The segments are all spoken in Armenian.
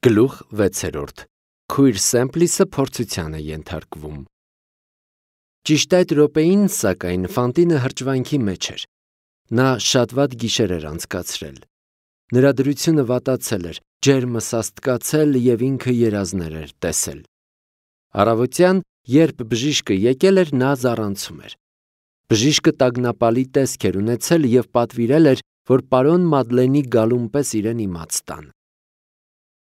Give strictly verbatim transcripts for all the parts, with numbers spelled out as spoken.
Գլուխ վեցերորդ. Քույր Սեմպլիսը փորձության է ենթարկվում։ Ճիշտ այդ րոպեին, սակայն, Ֆանտինը հրճվանքի մեջ էր։ Նա շատ վատ գիշեր էր անցկացրել։ Նրա դրությունը վատացել էր, ջերմը սաստկացել և ինքը երազներ էր տեսել։ Առավոտյան, երբ բժիշկը եկել էր, նա զառանցում էր։ Բժիշկը տագնապալի տեսք էր ունեցել և պատվիրել էր, որ պարոն Մադլենի գալուն պես իրեն իմաց տան։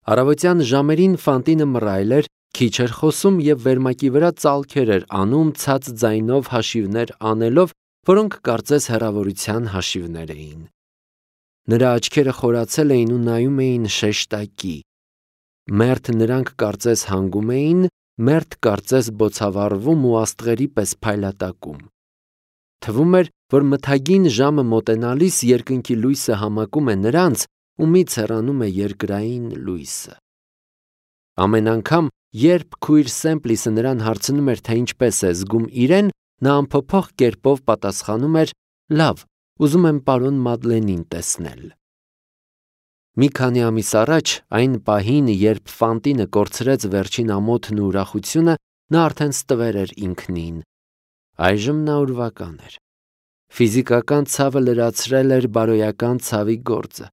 Առավոտյան ժամերին Ֆանտինը մռայլ էր, քիչ էր խոսում և վերմակի վրա ծալքեր էր անում ցած ձայնով հաշիվներ անելով, որոնք կարծես հեռավորության հաշիվներ էին։ Նրա աչքերը խորացել էին ու նայում էին շեշտակի։ Մերթ նրանք կարծես հանգում էին, մերթ կարծես բոցավառվում ու աստղերի պես փայլատակում։ Թվում էր, որ մթագին ժամը մոտենալիս երկնքի լույսը համակում է նրանց, ումից հեռանում է երկրային լույսը։ Ամեն անգամ, երբ քույր Սեմպլիսը նրան հարցնում էր, թե ինչպես է զգում իրեն, նա անփոփոխ կերպով պատասխանում էր. «Լավ, ուզում եմ պարոն Մադլենին տեսնել»։ Մի քանի ամիս առաջ, այն պահին, երբ Ֆանտինը կորցրեց վերջին ամոթն ու ուրախությունը, նա արդեն ստվեր էր ինքնին։ Այժմ նա ուրվական էր։ Ֆիզիկական ցավը լրացրել էր բարոյական ցավի գործը։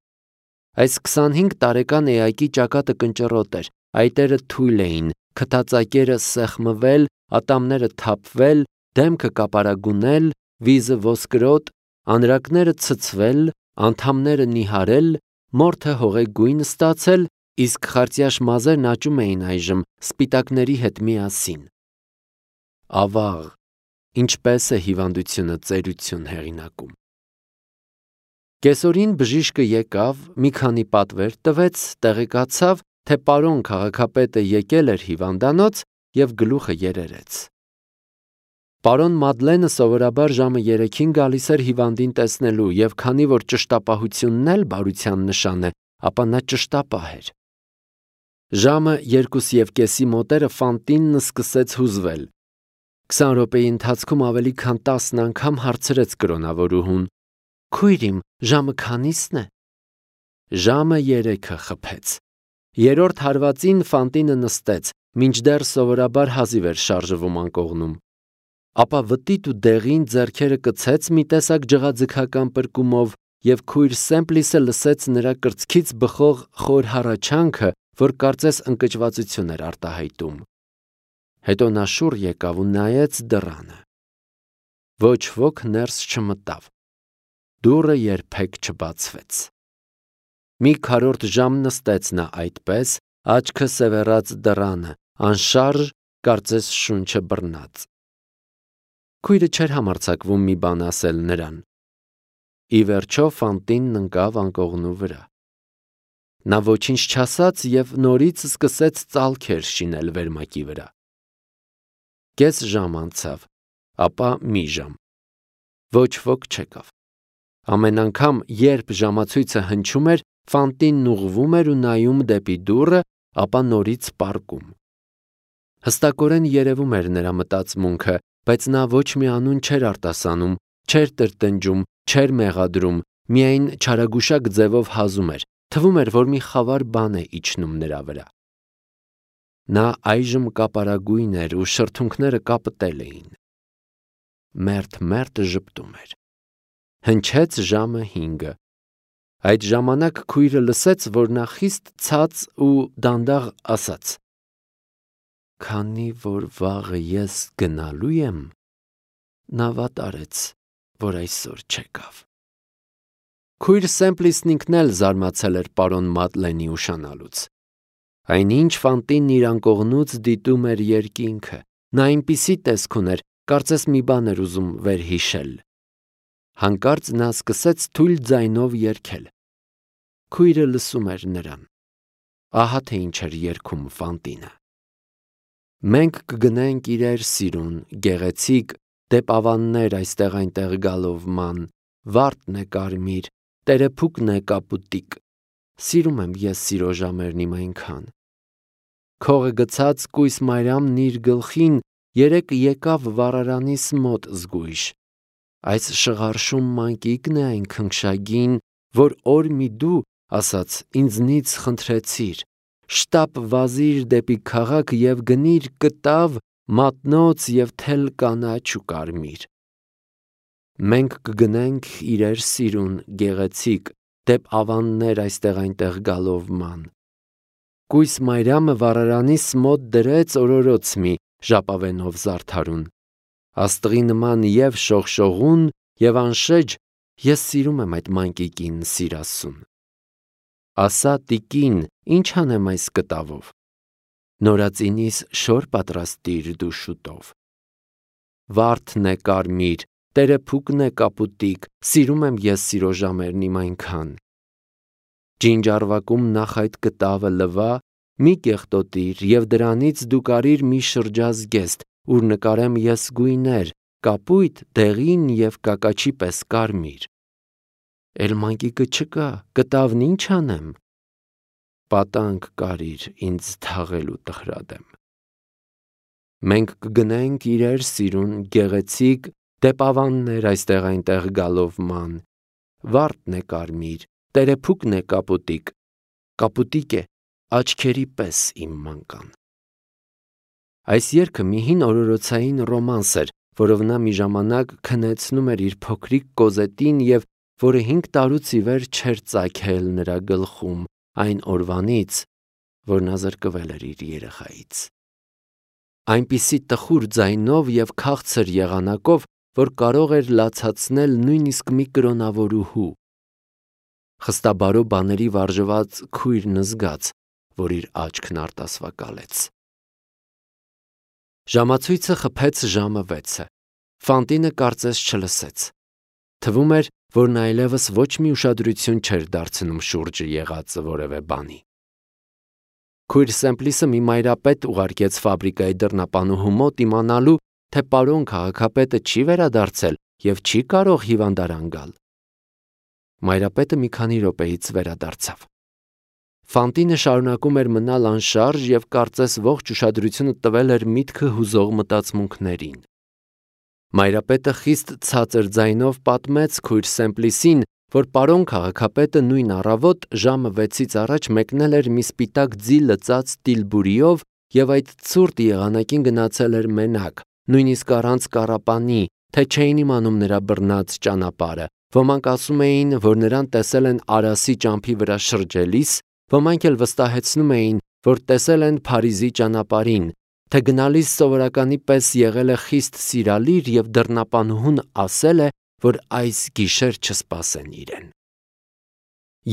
Այս քսանհինգ տարեկան էակի ճակատը կնճռոտ էր, այտերը թույլ էին, քթածակերը սեղմվել, ատամները թափվել, դեմքը կապարագունել, վիզը ոսկրոտ, անրակները ցցվել, անդամները նիհարել, մորթը հողեգույն ստացել, իսկ խարտյաշ մազերն աճում էին այժմ սպիտակների հետ միասին։ Ավաղ, ինչպես է հիվանդությունը ծերություն հեղինակում։ Կեսօրին բժիշկը եկավ, մի քանի պատվեր տվեց, տեղեկացավ, թե պարոն քաղաքապետը եկել էր հիվանդանոց և գլուխը երերեց։ Պարոն Մադլենը սովորաբար ժամը երեքին գալիս էր հիվանդին տեսնելու, և քանի որ ճշտապահությունն էլ բարության նշան է, ապա նա ճշտապահ էր։ Ժամը երկուսևկեսի մոտերը Ֆանտինն սկսեց հուզվել։ Քսան րոպեի ընթացքում ավելի քան տասն անգամ հարցրեց կրոնավորուհուն. «Քույր իմ, ժամը քանի՞սն է»։ Ժամը երեքը խփեց։ Երրորդ հարվածին Ֆանտինը նստեց, մինչդեռ սովորաբար հազիվ էր շարժվում անկողնում։ Ապա վտիտ ու դեղին ձեռքերը կցեց մի տեսակ ջղաձգական պրկումով, և քույր Սեմպլիսը լսեց նրա կրծքից բխող խոր հառաչանքը, որ կարծես ընկճվածություն էր արտահայտում։ Հետո նա շուռ եկավ ու նայեց դռանը։ Ոչ ոք ներս չմտավ։ Դուռը երբեք չբացվեց։ Մի քառորդ ժամ նստեց նա այդպես, աչքը սևեռած դռանը, անշարժ, կարծես շունչը բռնած։ Քույրը չէր համարձակվում մի բան ասել նրան։ Ի վերջո Ֆանտինն ընկավ անկողնու վրա։ Նա ոչինչ չասաց և նորից սկսեց ծալքեր շինել վերմակի վրա։ Կես ժամ անցավ, ապա մի ժամ։ Ոչ ոք չեկավ։ Ամեն անգամ, երբ ժամացույցը հնչում էր, Ֆանտինն ուղղվում էր ու նայում դեպի դուռը, ապա նորից պառկում։ Հստակորեն երևում էր նրա մտածմունքը, բայց նա ոչ մի անուն չէր արտասանում, չէր տրտնջում, չէր մեղադրում, միայն չարագուշակ ձևով հազում էր, թվում էր, որ մի խավար բան է իջնում նրա վրա։ Նա այժմ կապարագույն էր ու շրթունքները կապտել էին։ Մերթ-մերթ ժպտում էր։ Հնչեց ժամը հինգը։ Այդ ժամանակ քույրը լսեց, որ նա խիստ ցած ու դանդաղ ասաց. «Քանի որ վաղը ես գնալու եմ, նա վատ արեց, որ այսօր չեկավ»։ Քույր Սեմպլիսն ինքն էլ զարմացել էր պարոն Մադլենի ուշանալուց։ Այնինչ Ֆանտինն իր անկողնուց դիտում էր երկինքը, նա այնպիսի տեսք ուներ, կարծես մի բան էր ուզում վերհիշել։ Հանկարծ նա սկսեց թույլ ձայնով երգել։ Քույրը լսում էր նրան։ Ահա թե ինչ էր երգում Ֆանտինը. «Մենք կգնենք իրեր սիրուն, գեղեցիկ, դեպ ավաններ այստեղ այնտեղ գալով ման, վարդն է կարմիր, տերեփուկն է կապուտիկ, սիրում եմ ես սիրո ժամերն իմ այնքան։ Քողը գցած կույս մայրամն իր գլխին երեկ եկավ վառարանիս մոտ զգույշ։ Այս շղարշում մանկիկն է այն քնքշագին, որ օր մի դու ասաց ինձնից խնդրեցիր, շտապ վազիր դեպի քաղաք և գնիր կտավ, մատնոց և թել կանաչ ու կարմիր։ Մենք կգնենք իրեր սիրուն գեղեցիկ, դեպ ավաններ այստեղ այնտեղ գալով ման։ Կույս Մայրամը վառարանիս մոտ դրեց օրորոց մի, ժապավենով զարդարուն։ Աստղի նման և շողշողուն և անշեջ, ես սիրում եմ այդ մանկիկին սիրասուն։ Ասա տիկին, ինչ անեմ այս կտավով։ Նորածինիս շոր պատրաստիր դու շուտով։ Վարդն է կարմիր, տերեփուկն է կապուտիկ, սիրում եմ ես սիրո ժամերն իմ այնքան։ Ջինջարվակում նախ այդ կտավը լվա, մի կեղտոտիր և դրանից դու կարիր մի շրջազգեստ, ուր նկարեմ ես գույներ, կապույտ, դեղին և կակաչի պես կարմիր։ Էլ մանկիկը չկա, կտավն ինչ անեմ։ Պատանք կարիր ինձ թաղելու տխրադեմ։ Մենք կգնենք իրեր սիրուն գեղեցիկ, դեպ ավաններ այստեղ այնտեղ գալով ման։ Վարդն է կարմիր, տերեփուկն է կապուտիկ, կապուտիկ է աչքերի պես իմ մանկան։ Այս երգը մի հին օրորոցային ռոմանս էր, որով նա մի ժամանակ քնեցնում էր իր փոքրիկ Կոզետին և որը հինգ տարուց ի վեր չէր ծագել նրա գլխում այն օրվանից, որ նա զրկվել էր իր երեխայից։ Այնպիսի տխուր ձայնով և քաղցր եղանակով, որ կարող էր լացացնել նույնիսկ մի կրոնավորուհու։ Խստաբարո բաների վարժված քույրն զգաց, որ իր աչքն արտասվակալեց։ Ժամացույցը խփեց ժամը վեցը։ Ֆանտինը կարծես չլսեց։ Թվում էր, որ նա այլևս ոչ մի ուշադրություն չէր դարձնում շուրջը եղածը որևէ բանի։ Քույր Սեմպլիսը մի մայրապետ ուղարկեց ֆաբրիկայի դռնապանուհու մոտ իմանալու, թե պարոն քաղաքապետը չի վերադարձել և չի կարող հիվանդարան գալ։ Մայրապետը մի քանի րոպեից վերադարձավ։ Ֆանտինը շարունակում էր մնալ անշարժ և կարծես ողջ ուշադրությունը տվել էր միտքը հուզող մտածմունքներին։ Մայրապետը խիստ ցածր ձայնով պատմեց քույր Սեմպլիսին, որ պարոն քաղաքապետը նույն առավոտ ժամը վեցից առաջ մեկնել էր մի սպիտակ ձի լծած տիլբուրիով և այդ ցուրտ եղանակին գնացել էր մենակ, նույնիսկ առանց կառապանի, թե չէին իմանում նրա բռնած ճանապարհը։ Ոմանք ասում էին, որ նրան տեսել են Արասի ճամփի վրա շրջելիս, ոմանք էլ վստահեցնում էին, որ տեսել են Փարիզի ճանապարհին, թե գնալիս սովորականի պես եղել է խիստ սիրալիր և դռնապանուհուն ասել է, որ այս գիշեր չսպասեն իրեն։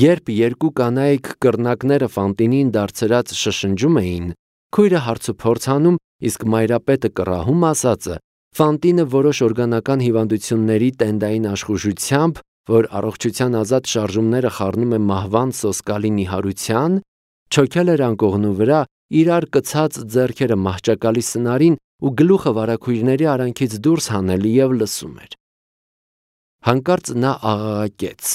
Երբ երկու կանայք կռնակները Ֆանտինին դարձրած շշնջում էին, քույրը հարցուփորձ անում, իսկ մայրապետը կռահում ասածը, Ֆանտինը որոշ օրգանական հիվանդությունների տենդային աշխուժությամբ, որ առողջության ազատ շարժումները խառնում է մահվան սոսկալի նիհարության, չոքել էր անկողնու վրա, իրար կցած ձեռքերը մահճակալի սնարին ու գլուխը վարագույրների արանքից դուրս հանել և լսում էր։ Հանկարծ նա աղաղակեց.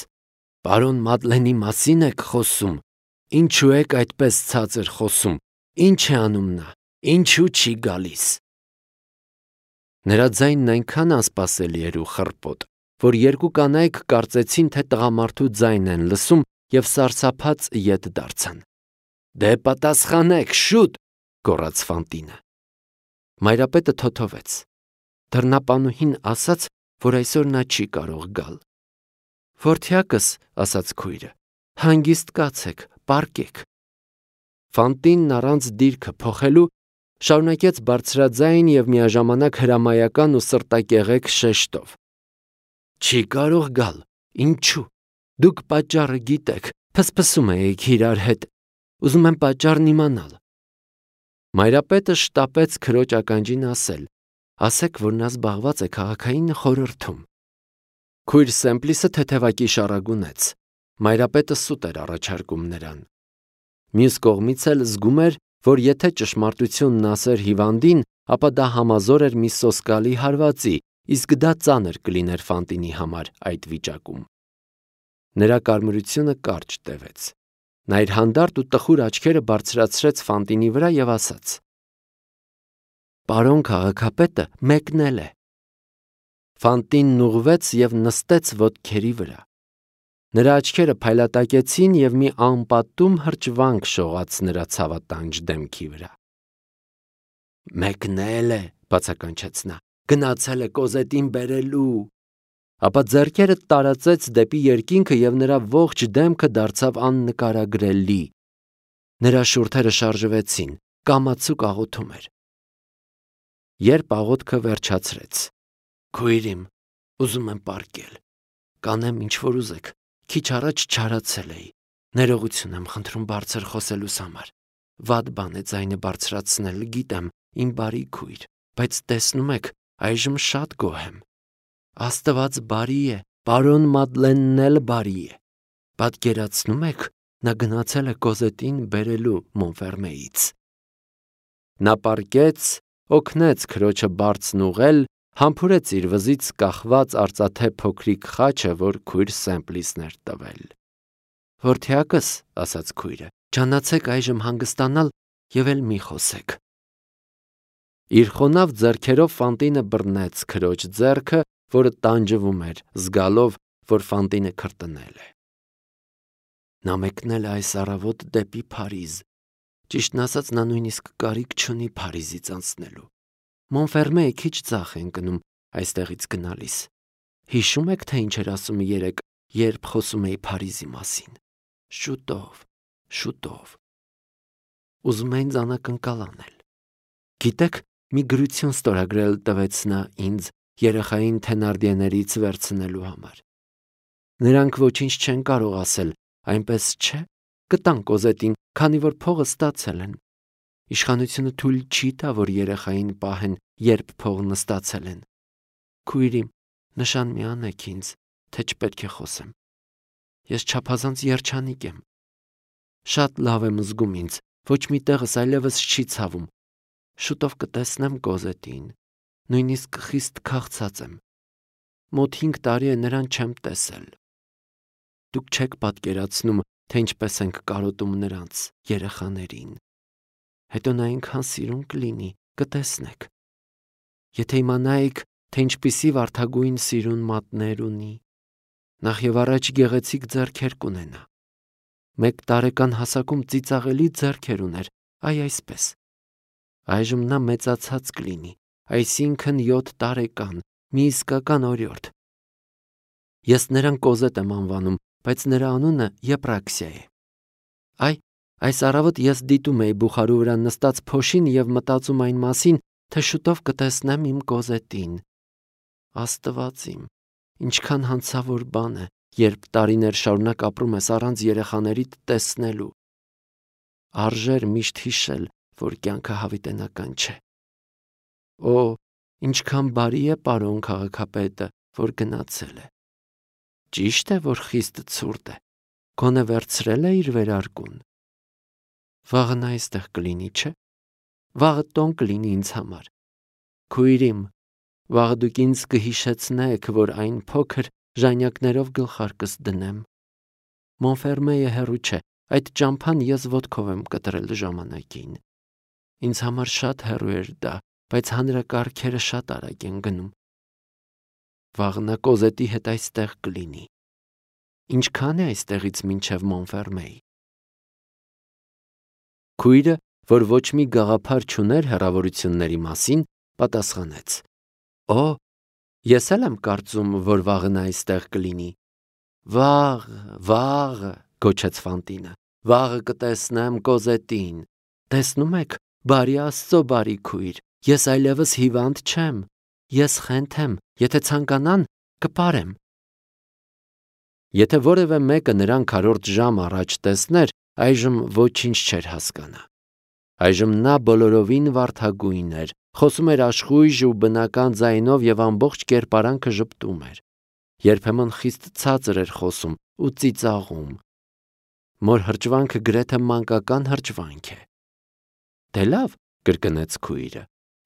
«Պարոն Մադլենի մասին եք խոսում, ինչու եք այդպես ցածր խոսում, ինչ է անում նա, ինչու չի գալիս»։ Նրա ձայնն այնքան անսպասելի էր ու խռպոտ, որ երկու կանայք կարծեցին, թե տղամարդու ձայն են լսում և սարսափած ետ դարձան։ «Դե պատասխանեք, շուտ», գոռաց Ֆանտինը։ Մայրապետը թոթվեց։ Դռնապանուհին ասաց, որ այսօր նա չի կարող գալ։ «Որդյակս», ասաց քույրը, հանգիստ կացեք, պառկեք։ Ֆանտինն առանց դիրքը փոխելու շարունակեց բարձրաձայն և միաժամանակ հրամայական ու սրտակեղեկ շեշտով. «Չի կարող գալ, ինչու՞։ Դուք պատճառը գիտեք, փսփսում եք իրար հետ, ուզում եմ պատճառն իմանալ»։ Մայրապետը շտապեց քրոջ ականջին ասել. «Ասեք, որ նա զբաղված է քաղաքային խորհրդում»։ Քույր Սեմպլիսը թեթևակի շառագունեց։ Մայրապետը սուտ էր առաջարկում նրան։ Մյուս կողմից էլ զգում էր, որ եթե ճշմարտությունն ասեր հիվանդին, ապա դա համազոր էր մի սոսկալի հարվածի, իսկ դա ծանր կլիներ Ֆանտինի համար այդ վիճակում։ Նրա կարմրությունը կարճ տևեց։ Նա իր հանդարտ ու տխուր աչքերը բարձրացրեց Ֆանտինի վրա և ասաց. «Պարոն քաղաքապետը մեկնել է»։ Ֆանտինն ուղղվեց և նստեց ոտքերի վրա։ Նրա աչքերը փայլատակեցին և մի անպատում հրճվանք շողաց նրա ցավատանջ դեմքի վրա։ «Մեկնել է», բացականչեց նա, «գնացել է Կոզետին բերելու»։ Ապա ձեռքերը տարածեց դեպի երկինքը և նրա ողջ դեմքը դարձավ աննկարագրելի։ Նրա շուրթերը շարժվեցին, կամացուկ աղոթում էր։ Երբ աղոթքը վերջացրեց. «Քույր իմ, ուզում եմ պառկել, կանեմ ինչ որ ուզեք, քիչ առաջ չարացել էի, ներողություն եմ խնդրում բարձր խոսելուս համար, վատ բան է ձայնը բարձրացնել, գիտեմ, իմ բարի քույր, բայց տեսնում եք, այժմ շատ գոհ եմ։ Աստված բարի է, պարոն Մադլենն էլ բարի է։ Պատկերացնում եք, նա գնացել է Կոզետին բերելու Մոնֆերմեից»։ Նա պառկեց, օգնեց քրոջը բարձն ուղղել, համբուրեց իր վզից կախված արծաթե փոքրիկ խաչը, որ քույր Սեմպլիսն էր տվել։ «Որդյակս», ասաց քույրը, «ջանացեք այժմ հանգստանալ և էլ մի խոսեք»։ Իր խոնավ ձեռքերով Ֆանտինը բռնեց քրոջ ձեռքը, որը տանջվում էր, զգալով, որ Ֆանտինը քրտնել է։ «Նա մեկնել է այս առավոտ դեպի Փարիզ։ Ճիշտն ասած, նա նույնիսկ կարիք չունի Փարիզից անցնելու։ Մոնֆերմեը քիչ ձախ է ընկնում այստեղից գնալիս։ Հիշում եք, թե ինչ էր ասում երեկ, երբ խոսում էի Փարիզի մասին։ Շուտով, շուտով։ Ուզում է ինձ անակնկալ անել։ Գիտեք, մի գրություն ստորագրել տվեց նա ինձ երեխային Թենարդիեներից վերցնելու համար։ Նրանք ոչինչ չեն կարող ասել, այնպես չէ, կտան Կոզետին, քանի որ փողը ստացել են։ Իշխանությունը թույլ չի տա, որ երեխային պահեն, երբ փողն ստացել են։ Քույր իմ, նշան մի անեք ինձ, թե չպետք է խոսեմ։ Ես չափազանց երջանիկ եմ։ Շատ լավ եմ զգում ինձ, ոչ մի տեղս այլևս չի ցավում։ Շուտով կտեսնեմ Կոզետին, նույնիսկ խիստ քաղցած եմ։ Մոտ հինգ տարի է նրան չեմ տեսել։ Դուք չեք պատկերացնում, թե ինչպես ենք կարոտում նրանց, երեխաներին։ Հետո նա այնքան սիրուն կլինի, կտեսնեք։ Եթե իմանայիք, թե ինչպիսի վարդագույն սիրուն մատներ ունի, նախ եւ առաջ գեղեցիկ ձեռքեր կունենա։ Մեկ տարեկան հասակում ծիծաղելի ձեռքեր ուներ, այ այսպես։ Այժմ նա մեծացած կլինի, այսինքն յոթ տարեկան, մի իսկական օրիորդ։ Ես նրան Կոզետ եմ անվանում, բայց նրա անունը Եպրաքսիա է։ Այ, այս առավոտ ես դիտում էի բուխարու վրա նստած փոշին և մտածում այն մասին, թե շուտով կտեսնեմ իմ Կոզետին։ Աստված իմ, ինչքան հանցավոր բան է, երբ տարիներ շարունակ ապրում ես առանց երեխաներիդ տեսնելու։ Արժեր միշտ հիշել, որ կյանքը հավիտենական չէ։ Օ, ինչքան բարի է պարոն քաղաքապետը, որ գնացել է։ Ճիշտ է, որ խիստ ցուրտ է, գոնե վերցրել է իր վերարկուն։ Վաղը նա այստեղ կլինի, չէ՞։ Վաղը տոն կլինի ինձ համար։ Քույր իմ, վաղը դուք ինձ կհիշեցնեք, որ այն փոքր ժանյակներով գլխարկս դնեմ։ Մոնֆերմեը հեռու չէ, այդ ճամփան ես ոտքով եմ կտրել ժամանակին։ Ինձ համար շատ հեռու էր դա, բայց հանրակարգերը շատ արագ են գնում։ Վաղը նա Կոզետի հետ այստեղ կլինի։ Ինչքան է այստեղից մինչև Մոնֆերմեի։ Քույրը, որ ոչ մի գաղափար չուներ հեռավորությունների մասին, պատասխանեց. Օ, ես էլ եմ կարծում, որ վաղը նա այստեղ կլինի։ Վաղը, վաղը, գոչեց Ֆանտինը, վաղը կտեսնեմ Կոզետին։ Տեսնում եք, բարի Աստծո բարի քույր, ես այլևս հիվանդ չեմ, ես խենթ եմ, եթե ցանկանան, կպարեմ։ Եթե որևէ մեկը նրան քառորդ ժամ առաջ տեսներ, այժմ ոչինչ չէր հասկանա։ Այժմ նա բոլորովին վարդագույն էր, խոսում էր աշխույժ ու բնական ձայնով և ամբողջ կերպարանքը ժպտում էր։ Երբեմն խիստ ցածր էր խոսում ու ծիծաղում։ Մոր հրճվանքը գրեթե մանկական հրճվանք է։ Դե լավ, կրկնեց քույրը,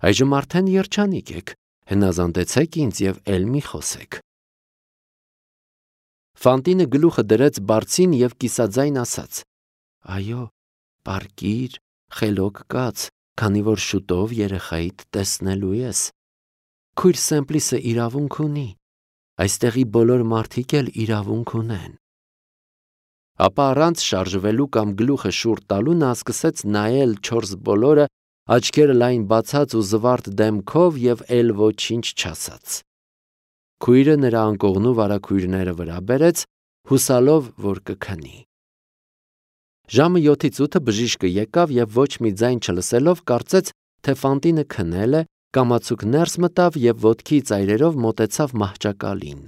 այժմ արդեն երջանիկ եք, հնազանդեցեք ինձ և էլ մի խոսեք։ Ֆանտինը գլուխը դրեց բարձին և կիսաձայն ասաց. Այո, պառկիր, խելոք կաց, քանի որ շուտով երեխայիդ տեսնելու ես։ Քույր Սեմպլիսը իրավունք ունի, այստեղի բոլոր մարդիկ էլ իրավունք ունեն։ Ապա առանց շարժվելու կամ գլուխը շուռ տալու նա սկսեց նայել չորս բոլորը, աչքերը լայն բացած ու զվարթ դեմքով եւ էլ ոչինչ չասաց։ Քույրը նրա անկողնու վարագույրները վրա բերեց, հուսալով, որ կքնի։ Ժամը յոթից ութը բժիշկը եկավ եւ ոչ մի ձայն չլսելով կարծեց, թե Ֆանտինը քնել է, կամացուկ ներս մտավ եւ ոտքի ծայրերով մոտեցավ մահճակալին։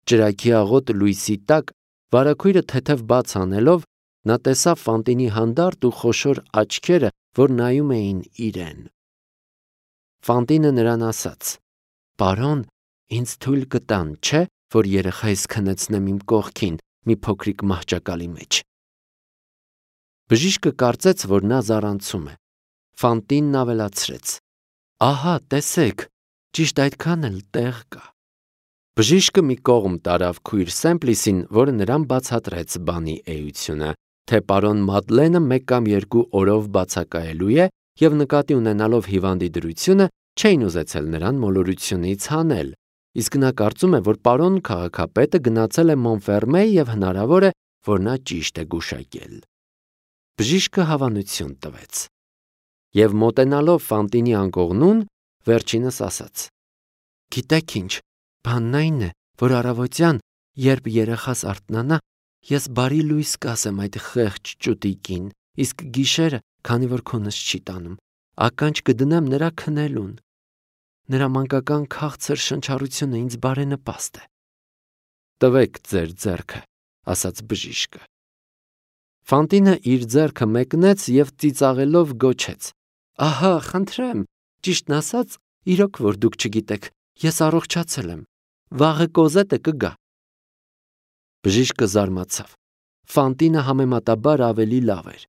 Ճրագի աղոտ լույսի տակ վարագույրը թեթև բաց անելով նա տեսավ Ֆանտինի հանդարտ ու խոշոր աչքերը, որ նայում էին իրեն։ Ֆանտինը նրան ասաց. «Պարոն, ինձ թույլ կտան, չէ, որ երեխայիս քնեցնեմ իմ կողքին մի փոքրիկ մահճակալի մեջ»։ Բժիշկը կարծեց, որ նա զառանցում է։ Ֆանտինն ավելացրեց. «Ահա, տեսեք, ճիշտ այդքան էլ տեղ կա»։ Բժիշկը մի կողմ տարավ քույր Սեմպլիսին, որը նրան բացատրեց բանի էությունը, թե պարոն Մադլենը մեկ կամ երկու օրով բացակայելու է եւ նկատի ունենալով հիվանդի դրությունը չէին ուզեցել նրան մոլորությունից հանել, իսկ նա կարծում է, որ պարոն քաղաքապետը գնացել է Մոնֆերմե եւ հնարավոր է, որ նա ճիշտ է գուշակել։ Բժիշկը հավանություն տվեց եւ մոտենալով Ֆանտինի անկողնուն վերջինս ասաց. «Գիտեք ինչ, բանն այն է, որ առավոտյան, երբ երեխաս արթնանա, ես բարի լույս կասեմ այդ խեղճ ճուտիկին, իսկ գիշերը, քանի որ քունս չի տանում, ականջ կդնեմ նրա քնելուն։ Նրա մանկական քաղցր շնչառությունը ինձ բարենպաստ է»։ «Տվեք ձեր ձեռքը», ասաց բժիշկը։ Ֆանտինը իր ձեռքը մեկնեց եւ ծիծաղելով գոչեց. «Ահա, խնդրեմ, ճիշտն ասած, իրոք որ դուք չգիտեք, ես առողջացել եմ, վաղը կոզետը կգա»։ Բժիշկը զարմացավ։ Ֆանտինը համեմատաբար ավելի լավ էր։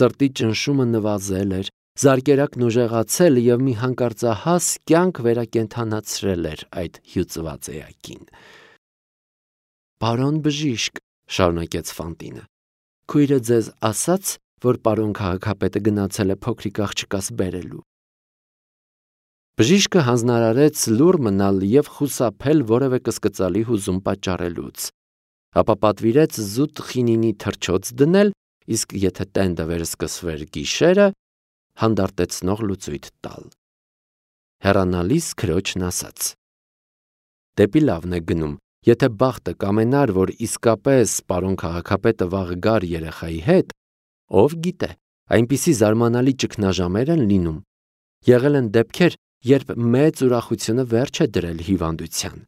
Սրտի ճնշումը նվազել էր, զարկերակն ուժեղացել եւ մի հանկարծահաս կյանք վերակենդանացրել էր այդ հյուծված էակին։ «Պարոն բժիշկ», շարունակեց Ֆանտինը, «քույրը ձեզ ասաց, որ պարոն քաղաքապետը գնացել է փոքրիկ աղջկաս բերելու»։ Բժիշկը հանձնարարեց լուռ մնալ եւ խուսափել որևէ կսկծալի հուզում պատճառելուց, ապա պատվիրեց զուտ խինինի թռչոց դնել, իսկ եթե տենդը վերսկսվեր գիշերը, հանդարտեցնող լուծույթ տալ։ Հեռանալիս քրոջն ասաց. «Դեպի լավն է գնում, եթե բախտը կամենար, որ իսկապես պարոն քաղաքապետը վաղը գար երեխայի հետ, ով գիտե, այնպիսի զարմանալի ճգնաժամեր են լինում։ Եղել են դեպքեր, երբ մեծ ուրախությունը վերջ է դրել հիվանդության։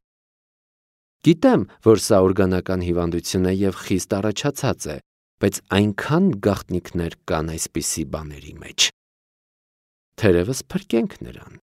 Գիտեմ, որ սա օրգանական հիվանդություն է եւ խիստ առաջացած է, բայց այնքան գաղտնիքներ կան այսպիսի բաների մեջ։ Թերևս փրկենք նրան»։